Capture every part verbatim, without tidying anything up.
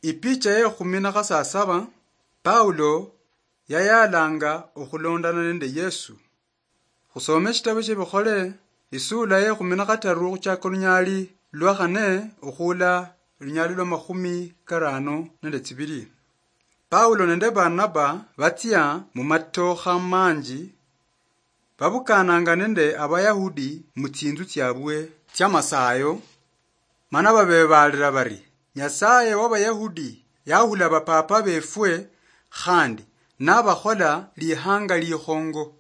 Ipicha ye khumi na khasasaba, Paulo yayalanga okhulondana nende Yesu. Khusome shitabu shia Bikhole, isula ye khumi na khataru khuchaka olunyali lwa khane okhula olunyali lwa makhumi karano nende tsibili. Paulo nende Barnaba batsia mu matokha manji, babukananga nende Abayahudi mu tsinzu tsiabwe tsia masayo, mana babebaalira bari, "Nyasaye wa Bayahudi yahula bapapa befwe, khandi nabakhola lihanga likhongo.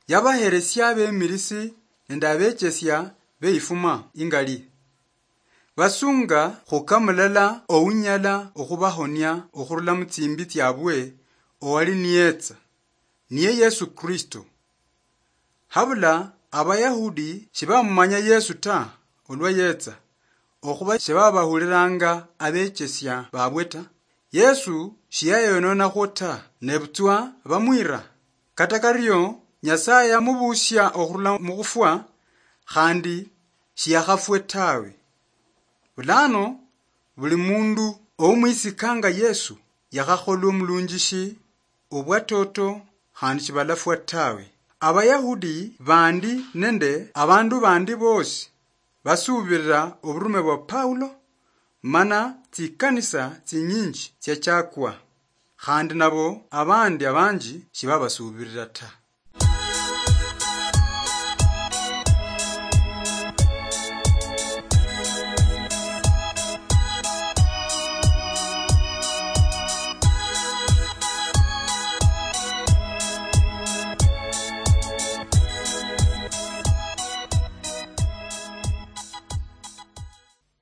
Yabaheresia abemilisi nende abechesia beifuma ingali. Basunga khukamulala ounyala okhubahonia okhurula mu tsimbi tsiabwe, owali niyetsa, niye Yesu Kristo." Habula Abayahudi shibamumanya Yesu ta, olwa yetsa, okhuba shibabahuliranga abechesia babwe ta. Yesu shiyayononakho ta, nebutswa bamwira. Kata kario, Nyasaye yamubusia okhurula mukhufwa, khandi shiyakhafwe tawe. Bulano, buli mundu oumwisikanga Yesu yakhakholwa omulunjishi obwatoto, khandi shibalafwa tawe. Abayahudi bandi nende abandu bandi bosi basuubirira oburume bwa Paulo, mana tsikanisa tsinyinji tsiachakwa, khandi nabo abandi abanji shibabasuubirira ta.